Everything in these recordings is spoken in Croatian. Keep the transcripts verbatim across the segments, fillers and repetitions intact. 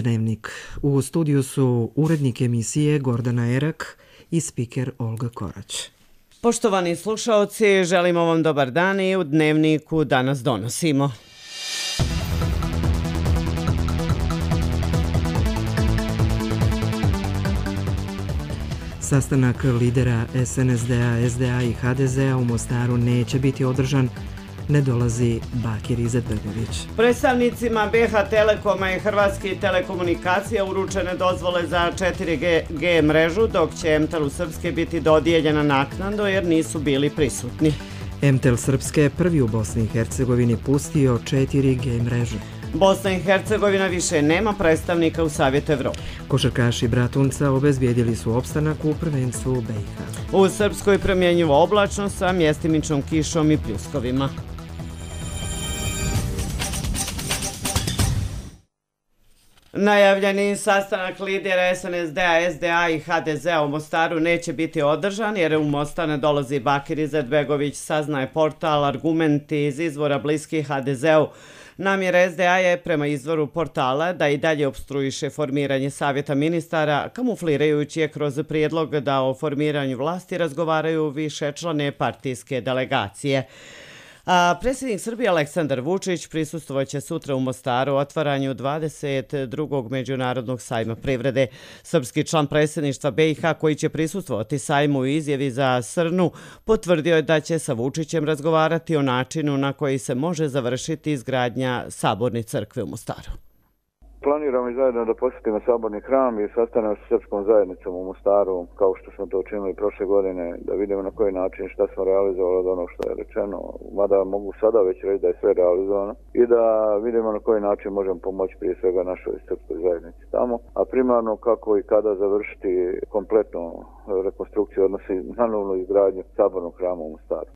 Dnevnik. U studiju su urednik emisije Gordana Erak i spiker Olga Korać. Poštovani slušaoci, želimo vam dobar dan i u Dnevniku danas donosimo. Sastanak lidera es en es de a, es de a i ha de ze a u Mostaru neće biti održan, ne dolazi Bakir Izetbegović. Predstavnicima be ha Telekoma i Hrvatske telekomunikacija uručene dozvole za četiri ge mrežu, dok će Emtelu Srpske biti dodijeljena naknadno jer nisu bili prisutni. Emtel Srpske prvi u Bosni i Hercegovini pustio četiri ge mrežu. Bosna i Hercegovina više nema predstavnika u Savjetu Evrope. Košarkaši Bratunca obezbijedili su opstanak u prvenstvu be i ha. U Srpskoj promjenjivo oblačno sa mjestimičnom kišom i pljuskovima. Najavljeni sastanak lidera es en es de a, es de a i ha de ze a u Mostaru neće biti održan jer u Mostar ne dolazi Bakir Izetbegović, saznaje portal Argumenti iz izvora bliskih ha de ze u. Namjera es de a je prema izvoru portala da i dalje opstruiše formiranje Savjeta ministara, kamuflirajući je kroz prijedlog da o formiranju vlasti razgovaraju višečlane partijske delegacije. A predsjednik Srbije Aleksandar Vučić prisustvovaće sutra u Mostaru otvaranju dvadeset drugog međunarodnog sajma privrede. Srpski član predsjedništva be i ha koji će prisustvovati sajmu u izjavi za Srnu potvrdio je da će sa Vučićem razgovarati o načinu na koji se može završiti izgradnja Saborne crkve u Mostaru. Planiramo i zajedno da posjetimo Saborni hram i sastanemo sa srpskom zajednicom u Mostaru, kao što smo to učinili prošle godine, da vidimo na koji način šta smo realizovali od onog što je rečeno, mada mogu sada već reći da je sve realizovano, i da vidimo na koji način možemo pomoći prije svega našoj srpskoj zajednici tamo, a primarno kako i kada završiti kompletnu rekonstrukciju, odnosi na novnu izgradnju Sabornog hrama u Mostaru.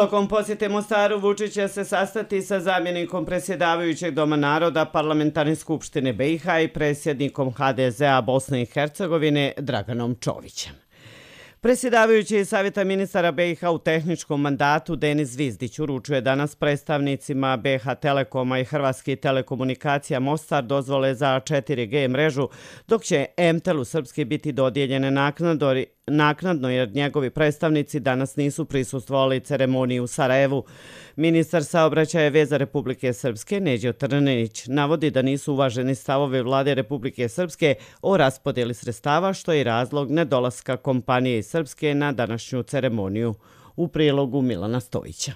Tokom posjete Mostaru Vučić će se sastati sa zamjenikom predsjedavajućeg Doma naroda Parlamentarne skupštine be i ha i predsjednikom ha de ze a Bosne i Hercegovine Draganom Čovićem. Predsjedavajući Savjeta ministara be i ha u tehničkom mandatu Denis Zvizdić uručuje danas predstavnicima be ha Telekoma i Hrvatske telekomunikacija Mostar dozvole za četiri ge mrežu, dok će Emtelu Srpske biti dodijeljene naknadno naknadno jer njegovi predstavnici danas nisu prisustvovali ceremoniji u Sarajevu. Ministar saobraćaja i veza Republike Srpske Neđo Trninić navodi da nisu uvaženi stavovi vlade Republike Srpske o raspodjeli sredstava, što je razlog nedolaska kompanije iz Srpske na današnju ceremoniju. U prilogu Milana Stojića.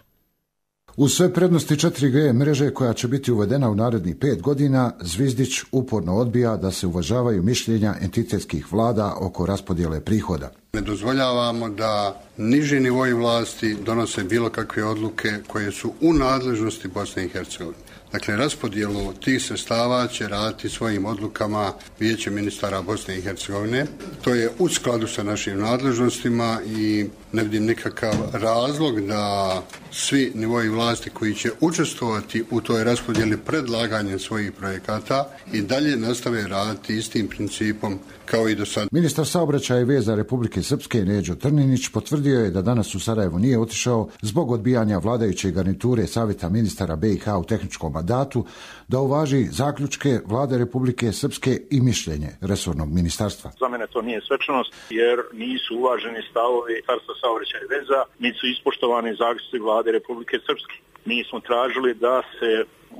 Uz sve prednosti četiri ge mreže koja će biti uvedena u narednih pet godina, Zvizdić uporno odbija da se uvažavaju mišljenja entitetskih vlada oko raspodjele prihoda. Ne dozvoljavamo da niži nivoi vlasti donose bilo kakve odluke koje su u nadležnosti Bosne i Hercegovine. Dakle, raspodjelu tih sredstava će raditi svojim odlukama Vijeće ministara Bosne i Hercegovine. To je u skladu sa našim nadležnostima i ne vidim nikakav razlog da svi nivoi vlasti koji će učestvovati u toj raspodjeli predlaganjem svojih projekata i dalje nastave raditi istim principom kao i do sada. Ministar saobraćaja i veza Republike Srpske Neđo Trninić potvrdio je da danas u Sarajevu nije otišao zbog odbijanja vladajuće garniture Savjeta ministara be i ha u tehničkom mandatu da uvaži zaključke vlade Republike Srpske i mišljenje resornog ministarstva. Za mene to nije svečanost jer nisu uvaženi stavovi Ministarstva saobraćaja i veza, nisu ispoštovani zaključci vlade Republike Srpske. Mi smo tražili da se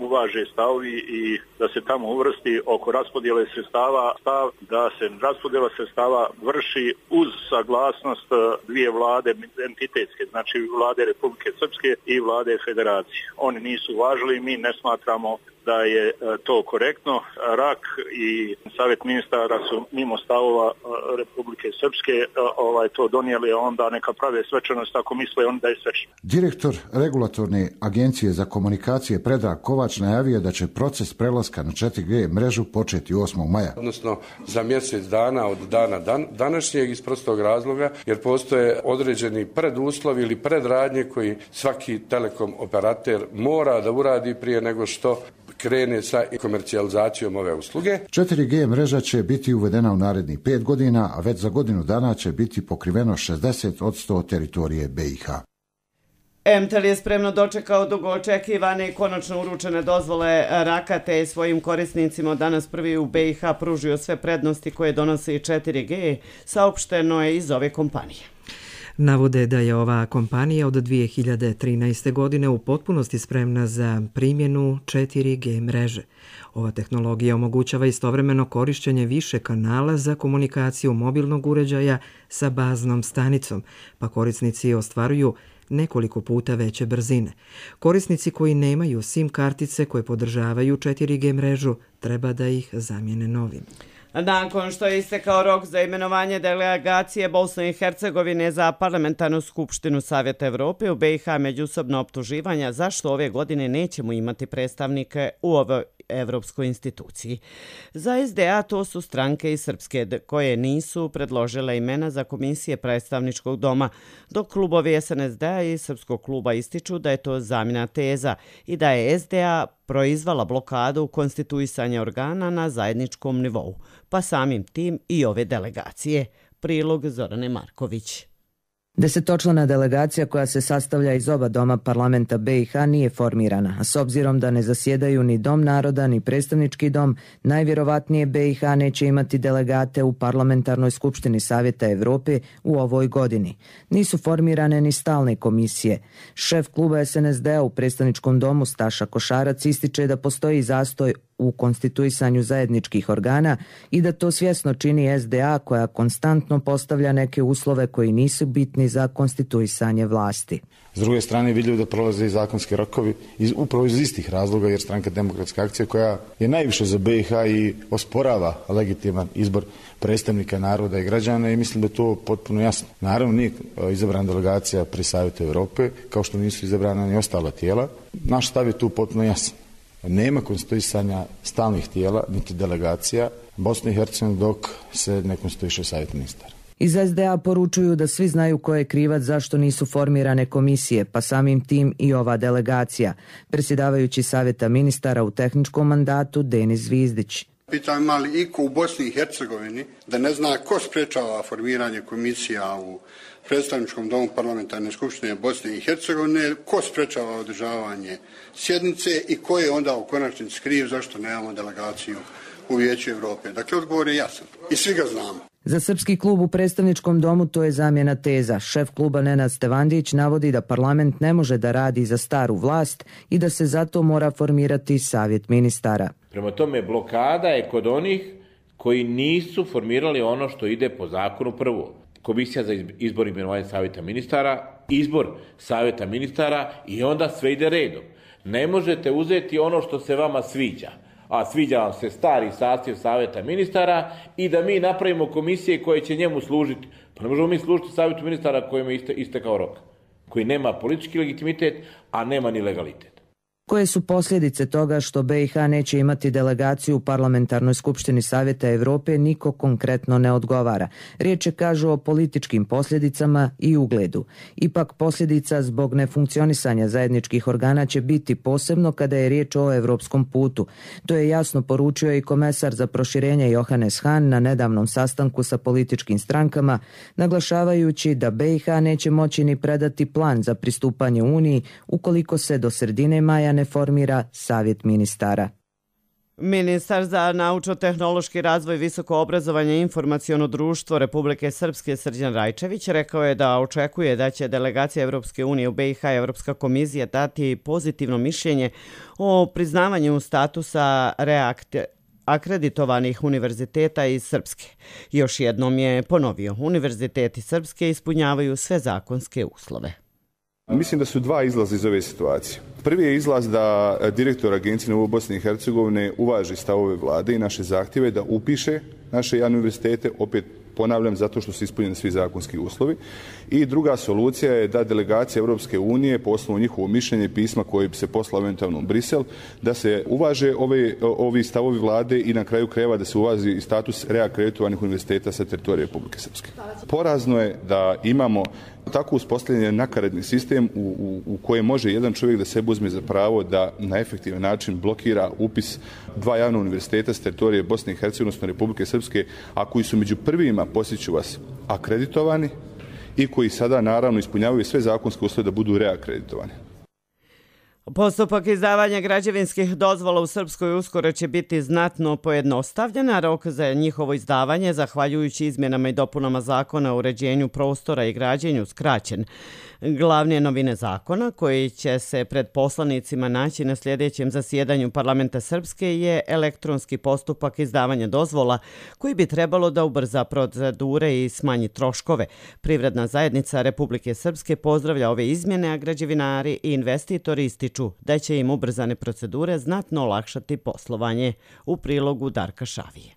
uvaže stavovi i da se tamo uvrsti oko raspodjele sredstava stav da se raspodjela sredstava vrši uz saglasnost dvije vlade entitetske, znači vlade Republike Srpske i vlade Federacije. Oni nisu uvažili, mi ne smatramo da je to korektno. RAK i Savjet ministara su mimo stavova Republike Srpske ovaj, to donijeli, onda neka prave svečanost ako misle oni da je svečno. Direktor Regulatorne agencije za komunikacije Predrag Kovač najavio da će proces prelaska na četiri ge mrežu početi osmog maja. Odnosno za mjesec dana od dana dan, današnjeg iz prostog razloga jer postoje određeni preduslovi ili predradnje koji svaki telekom operater mora da uradi prije nego što krene sa komercijalizacijom ove usluge. četiri ge mreža će biti uvedena u narednih pet godina, a već za godinu dana će biti pokriveno šezdeset posto teritorije be i ha. Emtel je spremno dočekao dugo očekivane i konačno uručene dozvole Rakate i svojim korisnicima danas prvi u B i H pružio sve prednosti koje donosi i četiri G, saopšteno je iz ove kompanije. Navode da je ova kompanija od dvije hiljade trinaeste. godine u potpunosti spremna za primjenu četiri G mreže. Ova tehnologija omogućava istovremeno korišćenje više kanala za komunikaciju mobilnog uređaja sa baznom stanicom, pa korisnici ostvaruju nekoliko puta veće brzine. Korisnici koji nemaju SIM kartice koje podržavaju četiri G mrežu treba da ih zamijene novim. Nakon što je istekao rok za imenovanje delegacije Bosne i Hercegovine za parlamentarnu skupštinu Savjeta Evrope, u B i H međusobno optuživanja zašto ove godine nećemo imati predstavnike u ovoj evropskoj instituciji. Za S D A to su stranke iz Srpske koje nisu predložile imena za komisije predstavničkog doma, dok klubovi S N S D A i Srpskog kluba ističu da je to zamjena teza i da je S D A proizvala blokadu konstituisanja organa na zajedničkom nivou, pa samim tim i ove delegacije. Prilog Zorane Marković. Desetočlana delegacija koja se sastavlja iz oba doma parlamenta B i H nije formirana, a s obzirom da ne zasjedaju ni Dom naroda ni predstavnički dom, najvjerovatnije B i H neće imati delegate u parlamentarnoj skupštini Savjeta Evrope u ovoj godini. Nisu formirane ni stalne komisije. Šef kluba S N S D A u predstavničkom domu Staša Košarac ističe da postoji zastoj u konstituisanju zajedničkih organa i da to svjesno čini S D A koja konstantno postavlja neke uslove koji nisu bitni za konstituisanje vlasti. S druge strane vidljivo da prolaze i zakonski rokovi iz, upravo iz istih razloga jer Stranka demokratska akcija koja je najviše za B i H i osporava legitiman izbor predstavnika naroda i građana i mislim da je to potpuno jasno. Naravno nije izabrana delegacija pri Savjetu Evrope kao što nisu izabrana ni ostala tijela. Naš stav je tu potpuno jasan. Nema konstituisanja stalnih tijela, niti delegacija Bosne i Hercegovine dok se ne konstituiše Savjet ministara. Iz S D A poručuju da svi znaju ko je krivac zašto nisu formirane komisije, pa samim tim i ova delegacija. Predsjedavajući Savjeta ministara u tehničkom mandatu Denis Zvizdić. Pitam ima li iko u Bosni i Hercegovini da ne zna ko sprečava formiranje komisija u predstavničkom domu parlamentarne skupštine Bosne i Hercegovine, ko sprečava održavanje sjednice i ko je onda u konačnici kriv zašto nemamo delegaciju u Vijeću Evrope. Dakle, odgovor je jasan i svi ga znamo. Za srpski klub u predstavničkom domu to je zamjena teza. Šef kluba Nenad Stevandić navodi da parlament ne može da radi za staru vlast i da se zato mora formirati Savjet ministara. Prema tome, blokada je kod onih koji nisu formirali ono što ide po zakonu prvo. Komisija za izbor i imenovanje Savjeta ministara, izbor Savjeta ministara i onda sve ide redom. Ne možete uzeti ono što se vama sviđa, a sviđa vam se stari sastav Savjeta ministara i da mi napravimo komisije koje će njemu služiti. Pa ne možemo mi služiti Savjetu ministara kojem je istekao rok, koji nema politički legitimitet, a nema ni legalitet. Koje su posljedice toga što B i H neće imati delegaciju u parlamentarnoj skupštini Savjeta Evrope, niko konkretno ne odgovara. Riječ je, kažu, o političkim posljedicama i ugledu. Ipak posljedica zbog nefunkcionisanja zajedničkih organa će biti posebno kada je riječ o evropskom putu. To je jasno poručio i komesar za proširenje Johannes Hahn na nedavnom sastanku sa političkim strankama, naglašavajući da B i H neće moći ni predati plan za pristupanje Uniji ukoliko se do sredine maja ne formira Savjet ministara. Ministar za naučno-tehnološki razvoj, visoko obrazovanje i informaciono društvo Republike Srpske Srđan Rajčević rekao je da očekuje da će delegacija Evropske unije u B i H i Evropska komisija dati pozitivno mišljenje o priznavanju statusa reakte akreditovanih univerziteta iz Srpske. Još jednom je ponovio, univerziteti Srpske ispunjavaju sve zakonske uslove. Mislim da su dva izlaza iz ove situacije. Prvi je izlaz da direktor Agencije na Bosne i Hercegovine uvaži stavove vlade i naše zahtjeve da upiše naše javne univerzitete, opet ponavljam, zato što su ispunjeni svi zakonski uslovi. I druga solucija je da delegacija Europske unije, po osnovu njihovo mišljenje pisma koje bi se poslalo eventualno u Brisel, da se uvaže ove, ovi stavovi vlade i na kraju krajeva da se uvaži i status reakreditovanih univerziteta sa teritorije Republike Srpske. Porazno je da imamo tako uspostavljen nakaradni sistem u, u, u kojem može jedan čovjek da sebe uzme za pravo da na efektivan način blokira upis dva javna univerziteta s teritorije Bosne i Hercegovine, odnosno Republike Srpske, a koji su među prvima, posjeću vas, akreditovani i koji sada naravno ispunjavaju sve zakonske uslove da budu reakreditovani. Postupak izdavanja građevinskih dozvola u Srpskoj uskoro će biti znatno pojednostavljen, a rok za njihovo izdavanje, zahvaljujući izmjenama i dopunama zakona o uređenju prostora i građenju, skraćen. Glavne novine zakona, koji će se pred poslanicima naći na sljedećem zasjedanju Parlamenta Srpske, je elektronski postupak izdavanja dozvola, koji bi trebalo da ubrza procedure i smanji troškove. Privredna zajednica Republike Srpske pozdravlja ove izmjene, a građevinari i investitori ističu da će im ubrzane procedure znatno olakšati poslovanje. U prilogu Darka Šavije.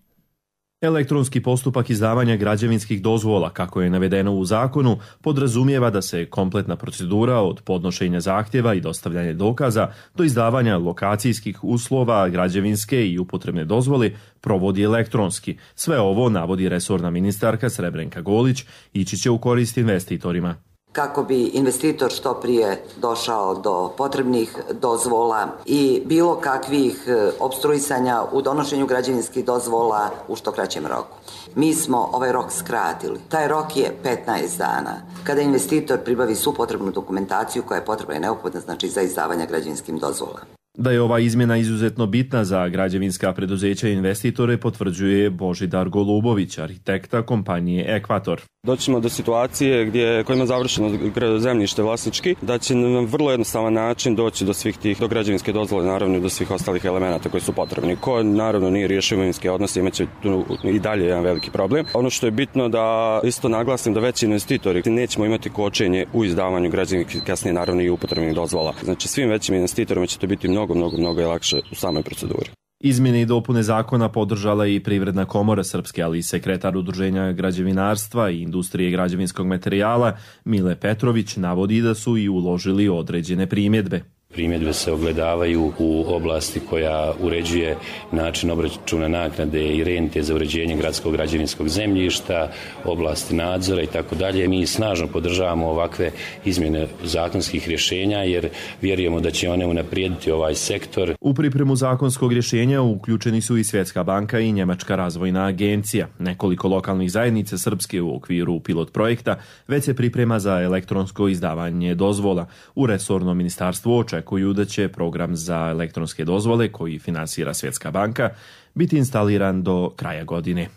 Elektronski postupak izdavanja građevinskih dozvola, kako je navedeno u zakonu, podrazumijeva da se kompletna procedura od podnošenja zahtjeva i dostavljanja dokaza do izdavanja lokacijskih uslova, građevinske i upotrebne dozvole provodi elektronski. Sve ovo, navodi resorna ministarka Srebrenka Golić, ići će u korist investitorima. Kako bi investitor što prije došao do potrebnih dozvola i bilo kakvih opstruisanja u donošenju građevinskih dozvola u što kraćem roku. Mi smo ovaj rok skratili. Taj rok je petnaest dana. Kada investitor pribavi svu potrebnu dokumentaciju koja je potrebna i neophodna, znači za izdavanje građevinskim dozvola. Da je ova izmjena izuzetno bitna za građevinska preduzeća i investitore potvrđuje Božidar Golubović, arhitekta kompanije Ekvator. Doćemo do situacije gdje kojima je završeno zemljište vlasnički, da će na vrlo jednostavan način doći do svih tih, do građevinske dozvole, naravno i do svih ostalih elemenata koji su potrebni. Ko naravno nije riješio imovinske odnose, imaće tu i dalje jedan veliki problem. Ono što je bitno da isto naglasim da veći investitori nećemo imati kočenje u izdavanju građevinskih, kasnije naravno i upotrebnih dozvola. Znači svim većim investitorima će to biti mnogo, mnogo, mnogo lakše u samoj proceduri. Izmjene i dopune zakona podržala i Privredna komora Srpske, ali i sekretar Udruženja građevinarstva i industrije građevinskog materijala Mile Petrović navodi da su i uložili određene primjedbe. Primjedbe se ogledavaju u oblasti koja uređuje način obračuna naknade i rente za uređenje gradskog građevinskog zemljišta, oblasti nadzora i tako dalje. Mi snažno podržavamo ovakve izmjene zakonskih rješenja jer vjerujemo da će one unaprijediti ovaj sektor. U pripremu zakonskog rješenja uključeni su i Svjetska banka i Njemačka razvojna agencija. Nekoliko lokalnih zajednica Srpske u okviru pilot projekta već se priprema za elektronsko izdavanje dozvola. U resornom ministarstvu očekuju Očekuju da će program za elektronske dozvole koji finansira Svjetska banka biti instaliran do kraja godine.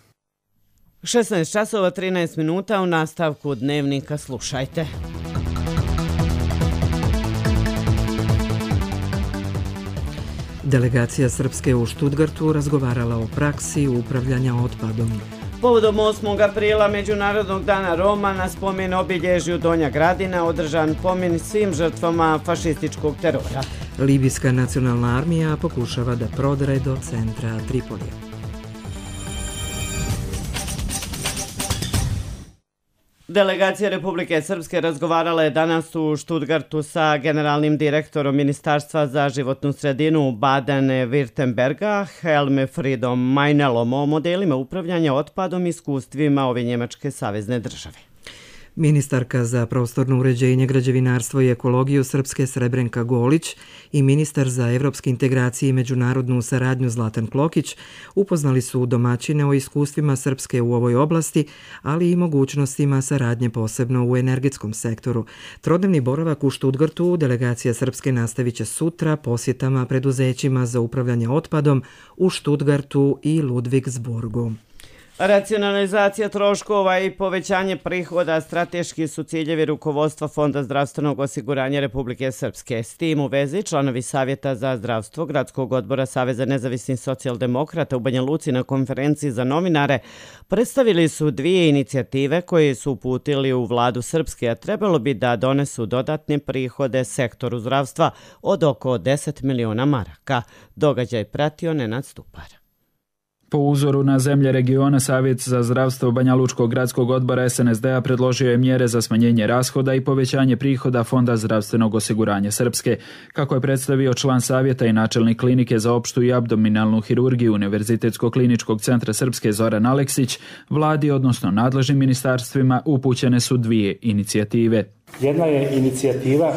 šesnaest časova trinaest minuta, u nastavku dnevnika slušajte. Delegacija Srpske u Štutgartu razgovarala o praksi upravljanja otpadom. Povodom osmog aprila Međunarodnog dana Roma na spomen obilježju Donja Gradina održan pomen svim žrtvama fašističkog terora. Libijska nacionalna armija pokušava da prodre do centra Tripolija. Delegacija Republike Srpske razgovarala je danas u Štutgartu sa generalnim direktorom Ministarstva za životnu sredinu Baden-Württemberga Helmfriedom Meinelom o modelima upravljanja otpadom i iskustvima ove njemačke savezne države. Ministarka za prostorno uređenje, građevinarstvo i ekologiju Srpske Srebrenka Golić i ministar za evropske integracije i međunarodnu saradnju Zlatan Klokić upoznali su domaćine o iskustvima Srpske u ovoj oblasti, ali i mogućnostima saradnje posebno u energetskom sektoru. Trodnevni boravak u Štutgartu delegacija Srpske nastavit će sutra posjetama preduzećima za upravljanje otpadom u Štutgartu i Ludvigsburgu. Racionalizacija troškova i povećanje prihoda strateški su ciljevi rukovodstva Fonda zdravstvenog osiguranja Republike Srpske. S tim u vezi članovi Savjeta za zdravstvo Gradskog odbora Saveza nezavisnih socijaldemokrata u Banja Luci na konferenciji za novinare predstavili su dvije inicijative koje su uputili u vladu Srpske, a trebalo bi da donesu dodatne prihode sektoru zdravstva od oko deset miliona maraka. Događaj pratio Nenad Stupar. Po uzoru na zemlje regiona, Savjet za zdravstvo Banja Lučkog gradskog odbora S N S D-a predložio je mjere za smanjenje rashoda i povećanje prihoda Fonda zdravstvenog osiguranja Srpske. Kako je predstavio član savjeta i načelnik klinike za opštu i abdominalnu hirurgiju Univerzitetskog kliničkog centra Srpske Zoran Aleksić, vladi, odnosno nadležnim ministarstvima, upućene su dvije inicijative. Jedna je inicijativa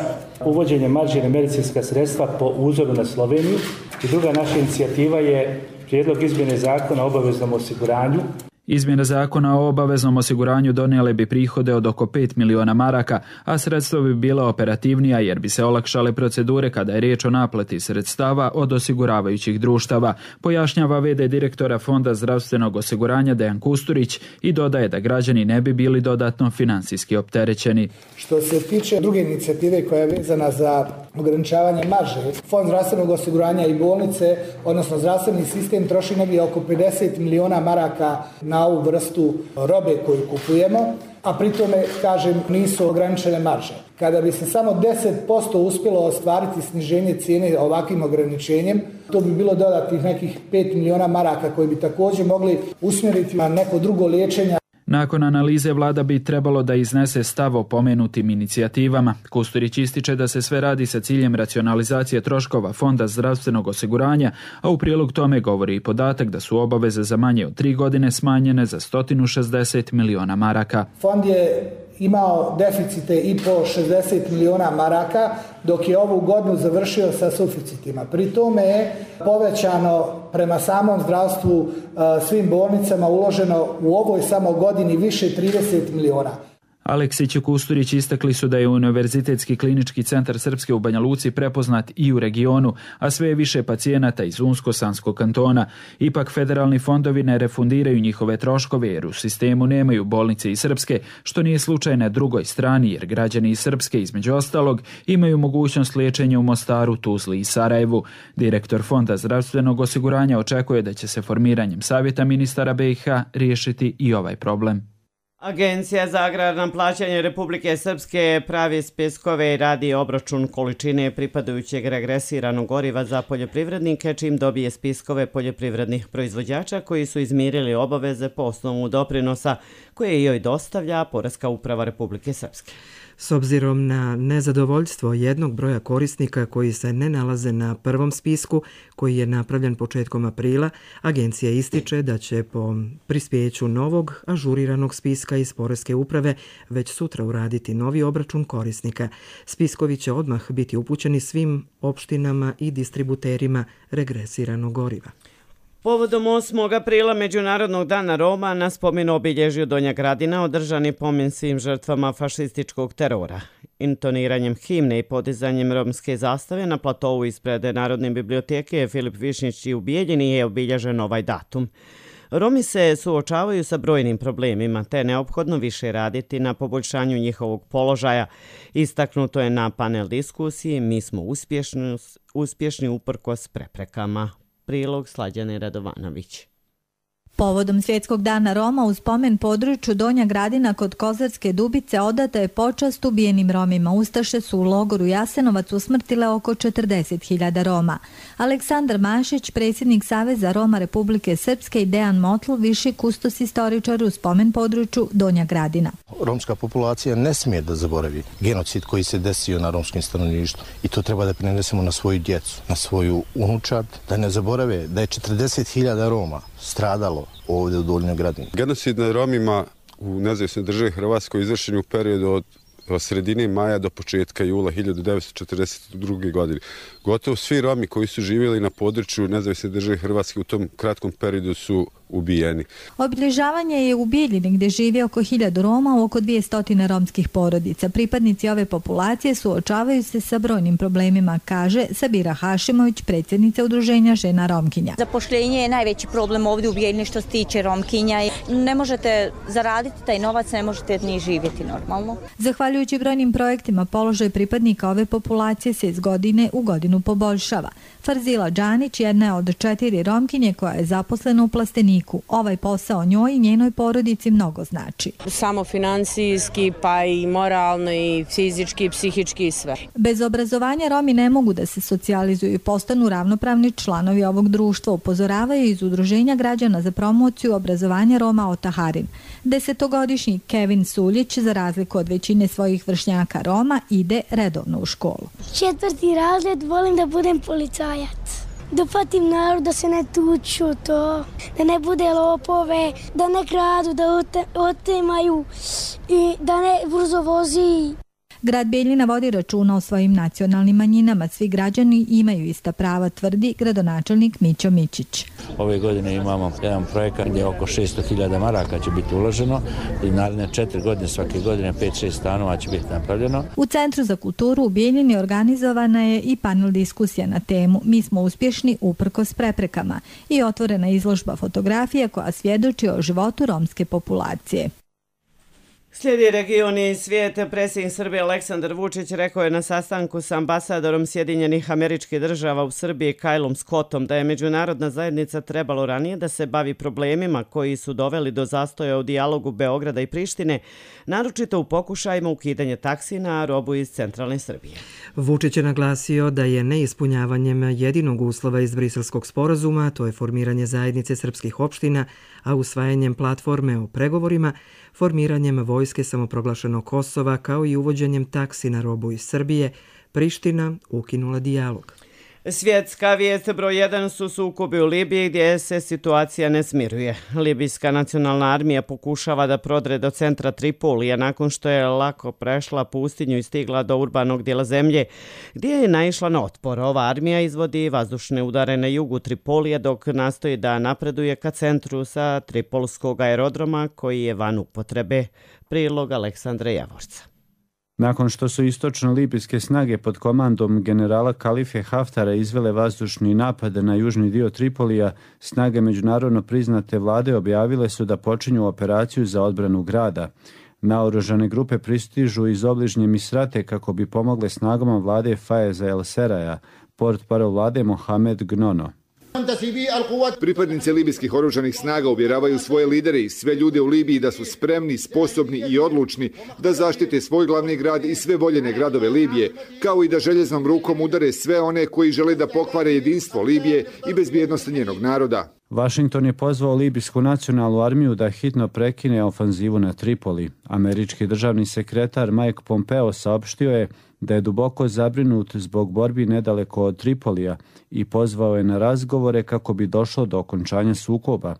uvođenje marži na medicinska sredstva po uzoru na Sloveniju i druga naša inicijativa je prijedlog izmjene zakona o obaveznom osiguranju. Izmjene zakona o obaveznom osiguranju donijele bi prihode od oko pet miliona maraka, a sredstva bi bila operativnija jer bi se olakšale procedure kada je riječ o naplati sredstava od osiguravajućih društava, pojašnjava ve de direktora Fonda zdravstvenog osiguranja Dejan Kusturić i dodaje da građani ne bi bili dodatno finansijski opterećeni. Što se tiče druge inicijative koja je vezana za ograničavanje marže, Fond zdravstvenog osiguranja i bolnice, odnosno zdravstveni sistem, troši negdje oko pedeset miliona maraka na ovu vrstu robe koju kupujemo, a pri tome, kažem, nisu ograničene marže. Kada bi se samo deset posto uspjelo ostvariti sniženje cijene ovakvim ograničenjem, to bi bilo dodatnih nekih pet miliona maraka koji bi također mogli usmjeriti na neko drugo liječenje. Nakon analize vlada bi trebalo da iznese stav o pomenutim inicijativama. Kusturić ističe da se sve radi sa ciljem racionalizacije troškova Fonda zdravstvenog osiguranja, a u prilog tome govori i podatak da su obaveze za manje od tri godine smanjene za sto šezdeset miliona maraka. Fond je imao deficite i po šezdeset miliona maraka, dok je ovu godinu završio sa suficitima. Pri tome je povećano prema samom zdravstvu svim bolnicama uloženo u ovoj samo godini više trideset miliona. Aleksić i Kusturić istakli su da je Univerzitetski klinički centar Srpske u Banja Luci prepoznat i u regionu, a sve je više pacijenata iz Unsko-Sanskog kantona. Ipak federalni fondovi ne refundiraju njihove troškove jer u sistemu nemaju bolnice iz Srpske, što nije slučaj na drugoj strani jer građani iz Srpske, između ostalog, imaju mogućnost liječenja u Mostaru, Tuzli i Sarajevu. Direktor Fonda zdravstvenog osiguranja očekuje da će se formiranjem Savjeta ministara be i ha riješiti i ovaj problem. Agencija za agrarna plaćanje Republike Srpske pravi spiskove i radi obračun količine pripadajućeg regresiranog goriva za poljoprivrednike, čim dobije spiskove poljoprivrednih proizvođača koji su izmirili obaveze po osnovu doprinosa koje joj dostavlja Poreska uprava Republike Srpske. S obzirom na nezadovoljstvo jednog broja korisnika koji se ne nalaze na prvom spisku, koji je napravljen početkom aprila, agencija ističe da će po prispjeću novog ažuriranog spiska iz Poreske uprave već sutra uraditi novi obračun korisnika. Spiskovi će odmah biti upućeni svim opštinama i distributerima regresiranog goriva. Povodom osmog aprila Međunarodnog dana Roma na spomen obilježju Donja Gradina održan je pomen svim žrtvama fašističkog terora. Intoniranjem himne i podizanjem romske zastave na platovu ispred Narodne biblioteke Filip Višnjić i u Bijeljini je obilježen ovaj datum. Romi se suočavaju sa brojnim problemima, te je neophodno više raditi na poboljšanju njihovog položaja. Istaknuto je na panel diskusiji Mi smo uspješni, uspješni uprkos preprekama. Prilog Slađane Radovanović. Povodom Svjetskog dana Roma u spomen području Donja Gradina kod Kozarske Dubice odata je počast ubijenim Romima. Ustaše su u logoru Jasenovac usmrtile oko četrdeset hiljada Roma. Aleksandar Mašić, predsjednik Saveza Roma Republike Srpske, i Dejan Motl, viši kustos istoričar u spomen području Donja Gradina. Romska populacija ne smije da zaboravi genocid koji se desio na romskim stanovništvu i to treba da prenesemo na svoju djecu, na svoju unučad, da ne zaborave da je četrdeset hiljada Roma stradalo ovdje u Donjoj Gradini. Genocid nad Romima u nezavisnoj državi Hrvatskoj izvršen u periodu od, od sredine maja do početka jula hiljadu devetsto četrdeset druge. godine. Gotovo svi Romi koji su živjeli na području nezavisne države Hrvatske u tom kratkom periodu su ubijeni. Obilježavanje je u Bijeljini gdje živi oko hiljadu Roma u oko dvjesto romskih porodica. Pripadnici ove populacije suočavaju se sa brojnim problemima, kaže Sabira Hašimović, predsjednica udruženja žena Romkinja. Zapošljenje je najveći problem ovdje u Bijeljini što se tiče Romkinja. Ne možete zaraditi taj novac, ne možete ni živjeti normalno. Zahvaljujući brojnim projektima, položaj pripadnika ove populacije se iz godine u godinu poboljšava. Farzila Đanić jedna je od četiri Romkinje koja je zaposlena u Plasteniku. Ovaj posao njoj i njenoj porodici mnogo znači. Samo finansijski, pa i moralno, i fizički, i psihički, i sve. Bez obrazovanja Romi ne mogu da se socijalizuju i postanu ravnopravni članovi ovog društva, upozoravaju iz Udruženja građana za promociju obrazovanja Roma Otaharin. Desetogodišnji Kevin Suljić, za razliku od većine svojih vršnjaka Roma, ide redovno u školu. Četvrti razred, volim da budem policajac. Da patim narod, da se ne tuču to, da ne bude lopove, da ne kradu, da otemaju i da ne brzo vozi. Grad Bijeljina vodi računa o svojim nacionalnim manjinama. Svi građani imaju ista prava, tvrdi gradonačelnik Mićo Mićić. Ove godine imamo jedan projekat gdje oko šesto hiljada maraka će biti uloženo i naredne četiri godine svake godine pet šest stanova će biti napravljeno. U Centru za kulturu u Bijeljini organizovana je i panel diskusija na temu Mi smo uspješni uprkos preprekama i otvorena izložba fotografija koja svjedoči o životu romske populacije. Slijedi region i svijet. Predsjednik Srbije Aleksandar Vučić rekao je na sastanku s ambasadorom Sjedinjenih Američkih Država u Srbiji Kylom Scottom da je međunarodna zajednica trebalo ranije da se bavi problemima koji su doveli do zastoja u dijalogu Beograda i Prištine, naročito u pokušajima ukidanja taksi na robu iz centralne Srbije. Vučić je naglasio da je neispunjavanjem jedinog uslova iz Briselskog sporazuma, to je formiranje zajednice srpskih opština, a usvajanjem platforme o pregovorima, formiranjem vojske samoproglašenog Kosova kao i uvođenjem taksi na robu iz Srbije, Priština ukinula dijalog. Svjetska vijest broj jedan su sukobi u Libiji gdje se situacija ne smiruje. Libijska nacionalna armija pokušava da prodre do centra Tripolija nakon što je lako prešla pustinju i stigla do urbanog dijela zemlje gdje je naišla na otpor. Ova armija izvodi vazdušne udare na jugu Tripolija dok nastoji da napreduje ka centru sa Tripolskog aerodroma koji je van upotrebe. Prilog Aleksandra Javorca. Nakon što su istočno-libijske snage pod komandom generala Kalife Haftara izvele vazdušni napad na južni dio Tripolija, snage međunarodno priznate vlade objavile su da počinju operaciju za odbranu grada. Naoružane grupe pristižu iz obližnje Misrate kako bi pomogle snagama vlade Fajeza El Seraja, portparol vlade Mohamed Gnono. Pripadnici libijskih oružanih snaga uvjeravaju svoje lidere i sve ljude u Libiji da su spremni, sposobni i odlučni da zaštite svoj glavni grad i sve voljene gradove Libije, kao i da željeznom rukom udare sve one koji žele da pokvare jedinstvo Libije i bezbjednost njenog naroda. Washington je pozvao libijsku nacionalnu armiju da hitno prekine ofanzivu na Tripoli. Američki državni sekretar Mike Pompeo saopštio je da je duboko zabrinut zbog borbi nedaleko od Tripolija i pozvao je na razgovore kako bi došlo do okončanja sukoba.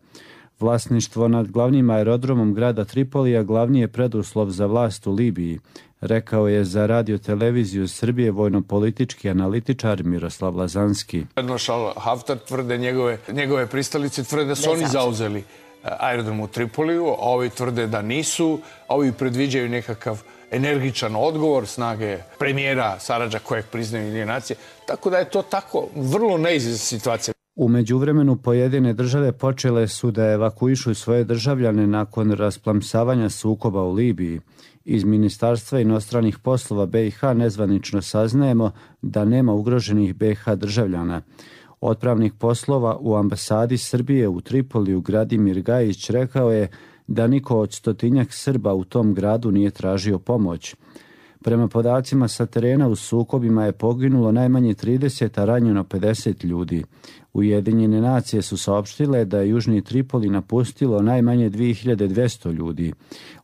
Vlasništvo nad glavnim aerodromom grada Tripolija glavni je preduslov za vlast u Libiji, rekao je za radio televiziju Srbije vojno-politički analitičar Miroslav Lazanski. Maršal Haftar tvrde, njegove, njegove pristalice tvrde da su oni zauzeli aerodrom u Tripoliju, a ovi tvrde da nisu, a ovi predviđaju nekakav energičan odgovor snage premijera Saradža kojeg priznaju Ujedinjene nacije, tako da je to tako vrlo neizvjesna situacija. U međuvremenu pojedine države počele su da evakuišu svoje državljane nakon rasplamsavanja sukoba u Libiji. Iz Ministarstva inostranih poslova B i H nezvanično saznajemo da nema ugroženih B i H državljana. Otpravnik poslova u ambasadi Srbije u Tripoliju Gradimir Gajić rekao je da niko od stotinjak Srba u tom gradu nije tražio pomoć. Prema podacima sa terena u sukobima je poginulo najmanje trideset, a ranjeno pedeset ljudi. Ujedinjene nacije su saopštile da je južni Tripoli napustilo najmanje dvije hiljade dvjesto ljudi.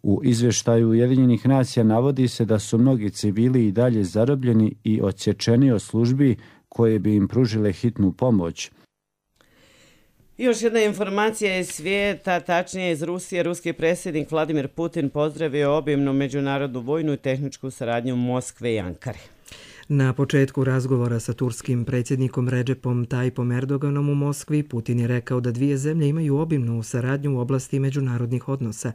U izvještaju Ujedinjenih nacija navodi se da su mnogi civili i dalje zarobljeni i odsječeni od službi koje bi im pružile hitnu pomoć. Još jedna informacija iz svijeta, tačnije iz Rusije. Ruski predsjednik Vladimir Putin pozdravio obimnu međunarodnu vojnu i tehničku saradnju Moskve i Ankare. Na početku razgovora sa turskim predsjednikom Recepom Tayyipom Erdoganom u Moskvi, Putin je rekao da dvije zemlje imaju obimnu saradnju u oblasti međunarodnih odnosa.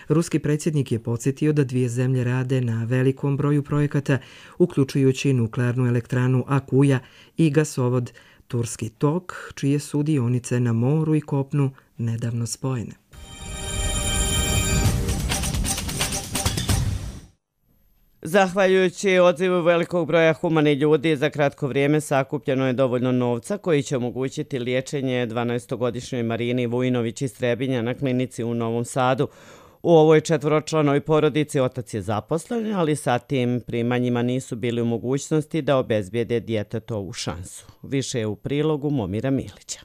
Ruski predsjednik je podsjetio da dvije zemlje rade na velikom broju projekata, uključujući nuklearnu elektranu Akuja i gasovod Turski tok, čije su dionice na moru i kopnu nedavno spojene. Zahvaljujući odzivu velikog broja humanih ljudi, za kratko vrijeme sakupljeno je dovoljno novca koji će omogućiti liječenje dvanaestogodišnjoj Marini Vujinović iz Trebinja na klinici u Novom Sadu. U ovoj četvoročlanoj porodici otac je zaposlen, ali sa tim primanjima nisu bili u mogućnosti da obezbijede djetetovu šansu. Više je u prilogu Momira Milića.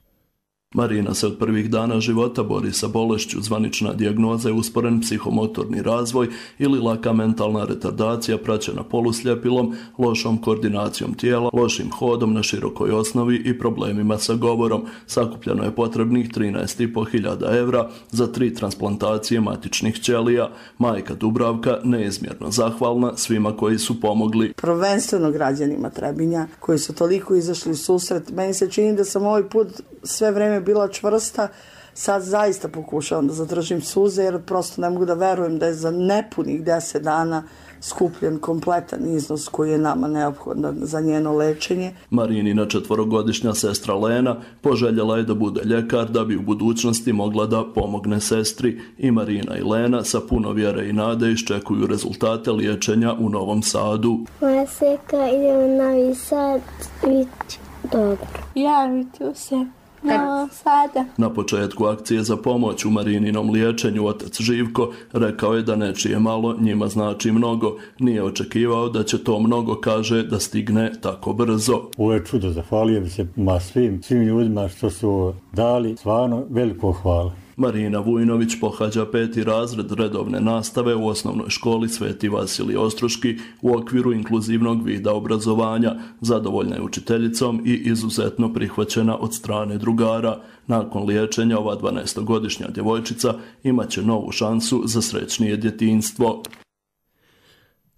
Marina se od prvih dana života bori sa bolešću. Zvanična dijagnoza je usporen psihomotorni razvoj ili laka mentalna retardacija praćena polusljepilom, lošom koordinacijom tijela, lošim hodom na širokoj osnovi i problemima sa govorom. Sakupljeno je potrebnih trinaest i po hiljada evra za tri transplantacije matičnih ćelija. Majka Dubravka neizmjerno zahvalna svima koji su pomogli. Prvenstveno građanima Trebinja koji su toliko izašli u susret. Meni se čini da sam ovaj put sve vreme bila čvrsta, sad zaista pokušavam da zadržim suze jer prosto ne mogu da verujem da je za nepunih deset dana skupljen kompletan iznos koji je nama neophodan za njeno lečenje. Marinina četvorogodišnja sestra Lena poželjela je da bude ljekar da bi u budućnosti mogla da pomogne sestri. I Marina i Lena sa puno vjere i nade iščekuju rezultate liječenja u Novom Sadu. Moja seka ide u Novi Sad, bit dobro. Javit ću se. No, sada. Na početku akcije za pomoć u Marininom liječenju otac Živko rekao je da nečije malo njima znači mnogo. Nije očekivao da će to mnogo, kaže, da stigne tako brzo. Ovo je čudo, zahvalio bi se ma svim, svim ljudima što su dali, stvarno veliko hvala. Marina Vujnović pohađa peti razred redovne nastave u osnovnoj školi Sveti Vasilij Ostroški u okviru inkluzivnog vida obrazovanja. Zadovoljna je učiteljicom i izuzetno prihvaćena od strane drugara. Nakon liječenja ova dvanaestogodišnja djevojčica imaće novu šansu za srećnije djetinjstvo.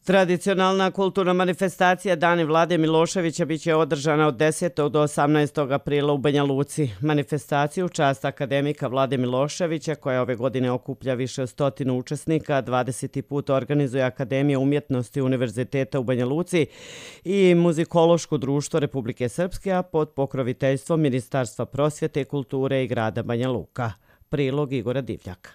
Tradicionalna kulturna manifestacija Dani Vlade Miloševića biće održana od desetog do osamnaestog aprila u Banja Luci. Manifestaciju u čast akademika Vlade Miloševića, koja ove godine okuplja više od stotinu učesnika, dvadeseti put organizuje Akademija umjetnosti Univerziteta u Banja Luci i Muzikološko društvo Republike Srpske, a pod pokroviteljstvom Ministarstva prosvjete, kulture i grada Banja Luka. Prilog Igora Divljaka.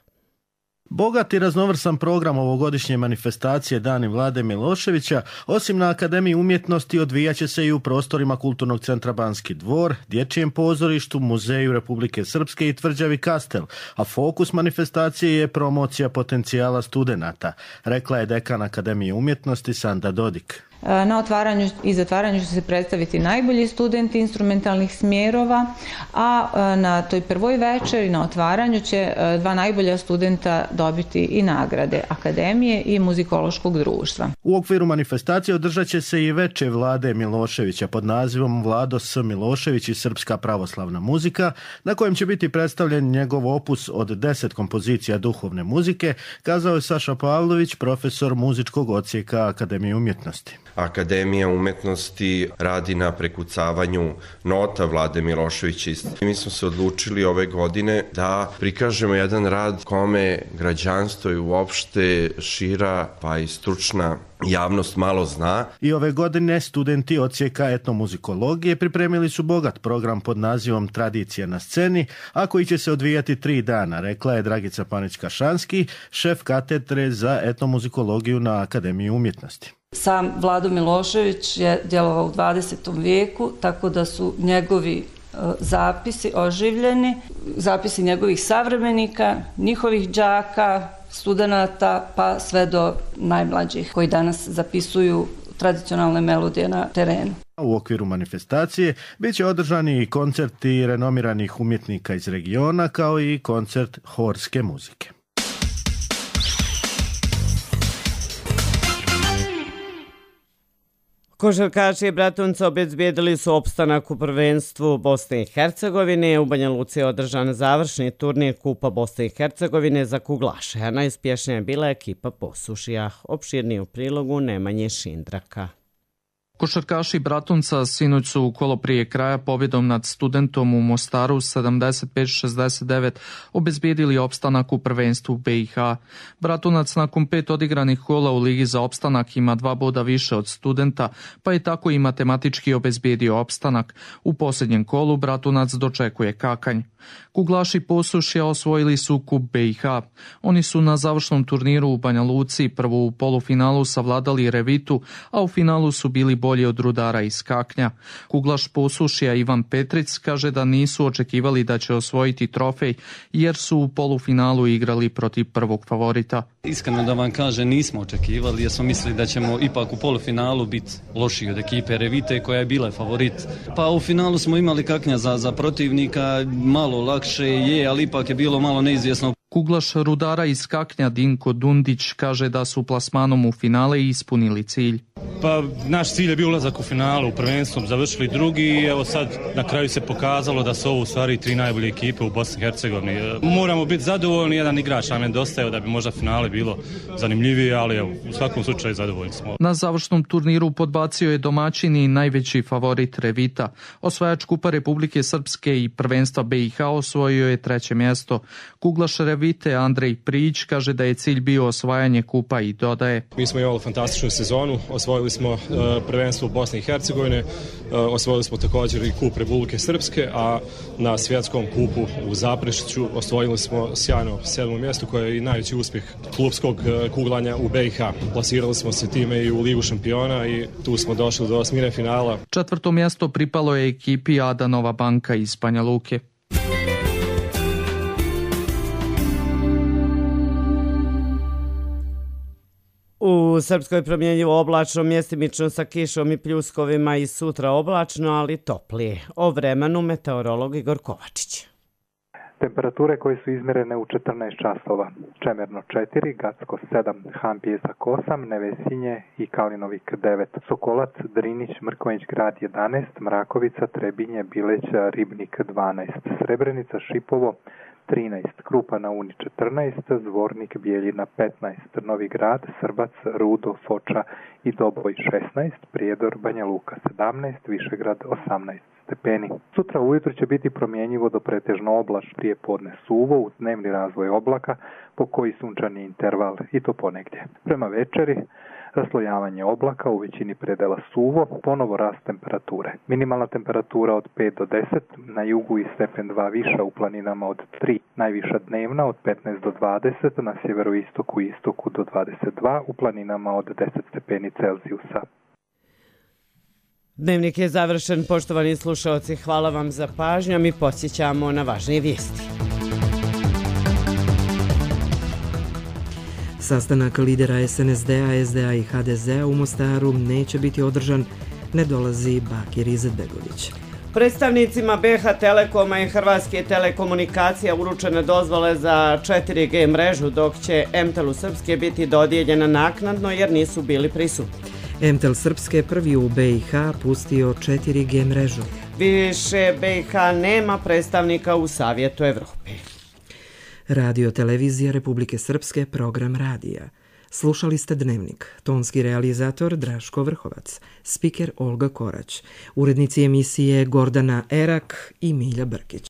Bogat i raznovrsan program ovogodišnje manifestacije Dani Vlade Miloševića, osim na Akademiji umjetnosti, odvijaće se i u prostorima Kulturnog centra Banski dvor, Dječjem pozorištu, Muzeju Republike Srpske i tvrđavi Kastel, a fokus manifestacije je promocija potencijala studenata, rekla je dekan Akademije umjetnosti Sanda Dodik. Na otvaranju i zatvaranju će se predstaviti najbolji studenti instrumentalnih smjerova, a na toj prvoj večeri na otvaranju će dva najbolja studenta dobiti i nagrade Akademije i Muzikološkog društva. U okviru manifestacije održat će se i veče Vlade Miloševića pod nazivom Vlado S. Milošević i srpska pravoslavna muzika, na kojem će biti predstavljen njegov opus od deset kompozicija duhovne muzike, kazao je Saša Pavlović, profesor muzičkog odsjeka Akademije umjetnosti. Akademija umjetnosti radi na prekucavanju nota Vlade Miloševića. Mi smo se odlučili ove godine da prikažemo jedan rad kome građanstvo i uopšte šira pa i stručna javnost malo zna. I ove godine studenti odsjeka etnomuzikologije pripremili su bogat program pod nazivom Tradicija na sceni, a koji će se odvijati tri dana, rekla je Dragica Panić-Kašanski, šef katedre za etnomuzikologiju na Akademiji umjetnosti. Sam Vlado Milošević je djelovao u dvadesetom vijeku, tako da su njegovi zapisi oživljeni, zapisi njegovih savremenika, njihovih đaka, studenata, pa sve do najmlađih koji danas zapisuju tradicionalne melodije na terenu. U okviru manifestacije bit će održani i koncerti renomiranih umjetnika iz regiona, kao i koncert horske muzike. Košarkaši Bratunca obezbijedili su opstanak u prvenstvu Bosne i Hercegovine. U Banja Luci je održan završni turnir Kupa Bosne i Hercegovine za kuglaše, a najuspješnija je bila ekipa Posušija. Opširniji u prilogu Nemanje Šindraka. Košarkaši Bratunca sinoć su u kolo prije kraja pobjedom nad Studentom u Mostaru sedamdeset pet šezdeset devet obezbijedili opstanak u prvenstvu B i H. Bratunac nakon pet odigranih kola u Ligi za opstanak ima dva boda više od Studenta, pa je tako i matematički obezbijedio opstanak. U posljednjem kolu Bratunac dočekuje kakanj. Kuglaši Posušja osvojili su kup B i H. Oni su na završnom turniru u Banja Luci prvo u polufinalu savladali Revitu, a u finalu su bili bolji od Rudara iz Kaknja. Kuglaš Posušja Ivan Petric kaže da nisu očekivali da će osvojiti trofej jer su u polufinalu igrali protiv prvog favorita. Iskreno da vam kažem, nismo očekivali jer smo mislili da ćemo ipak u polufinalu biti lošiji od ekipe Revite koja je bila favorit. Pa u finalu smo imali Kaknja za, za protivnika, malo lakše je, ali ipak je bilo malo neizvjesno. Kuglaš Rudara iz Kaknja Dinko Dundić kaže da su plasmanom u finale ispunili cilj. Pa naš cilj je bio ulazak u finalu, u prvenstvu završili drugi i evo sad na kraju se pokazalo da su ovo u stvari tri najbolje ekipe u Bosni i Hercegovini. Moramo biti zadovoljni, jedan igrač nam je nedostajao da bi možda finale bilo zanimljivije, ali evo, u svakom slučaju zadovoljni smo. Na završnom turniru podbacio je domaćin i najveći favorit Revita. Osvajač Kupa Republike Srpske i prvenstva B i H osvojio je treće mjesto. Kuglaš Revite Andrej Prijić kaže da je cilj bio osvajanje kupa i dodaje: Mi smo imali fantastičnu sezonu, osvojili smo uh, prvenstvo u Bosni i Hercegovine, uh, osvojili smo također i kup Republike Srpske, a na svjetskom kupu u Zaprešiću osvojili smo sjajno sedmo mjesto koje je i najveći uspjeh klubskog uh, kuglanja u B i H. Plasirali smo se time i u Ligu šampiona i tu smo došli do osmine finala. Četvrto mjesto pripalo je ekipi Ada Nova Banka iz Banja Luke. U Srpskoj promjenjivo oblačno, mjestimično sa kišom i pljuskovima i sutra oblačno, ali toplije. O vremenu meteorolog Igor Kovačić. Temperature koje su izmjerene u četrnaest časova. Čemerno četiri, Gacko sedam, Han Pjesak osam, Nevesinje i Kalinovik devet, Sokolac, Drinić, Mrkonjić Grad jedanaest, Mrakovica, Trebinje, Bileć, Ribnik dvanaest, Srebrenica, Šipovo trinaest, Krupa na Uni četrnaest, Zvornik, Bijeljina petnaest, Novi Grad, Srbac, Rudo, Foča i Doboj šesnaest, Prijedor, Banja Luka sedamnaest, Višegrad osamnaest stepeni. Sutra ujutro će biti promjenjivo do pretežno oblačno, prije podne suvo, u dnevni razvoj oblaka, po koji sunčani interval i to ponegdje. Prema večeri raslojavanje oblaka, u većini predela suvo, ponovo rast temperature. Minimalna temperatura od pet do deset, na jugu i stepen dva viša, u planinama od tri, najviša dnevna od petnaest do dvadeset, na sjeveroistoku i istoku do dvadeset dva, u planinama od deset stepeni Celzijusa. Dnevnik je završen, poštovani slušalci, hvala vam za pažnju, mi podsjećamo na važnije vijesti. Sastanak lidera S N S D-a, S D A i H D Z-a u Mostaru neće biti održan, ne dolazi Bakir Izetbegović. Predstavnicima B H Telekoma i Hrvatske telekomunikacija uručene dozvole za četiri G mrežu, dok će M T E L-u Srpske biti dodijeljena naknadno jer nisu bili prisutni. M T E L Srpske prvi u B i H pustio četiri G mrežu. Više B i H nema predstavnika u Savjetu Evrope. Radio Televizija Republike Srpske, program radija. Slušali ste Dnevnik, tonski realizator Draško Vrhovac, spiker Olga Korać, urednici emisije Gordana Erak i Milja Brkić.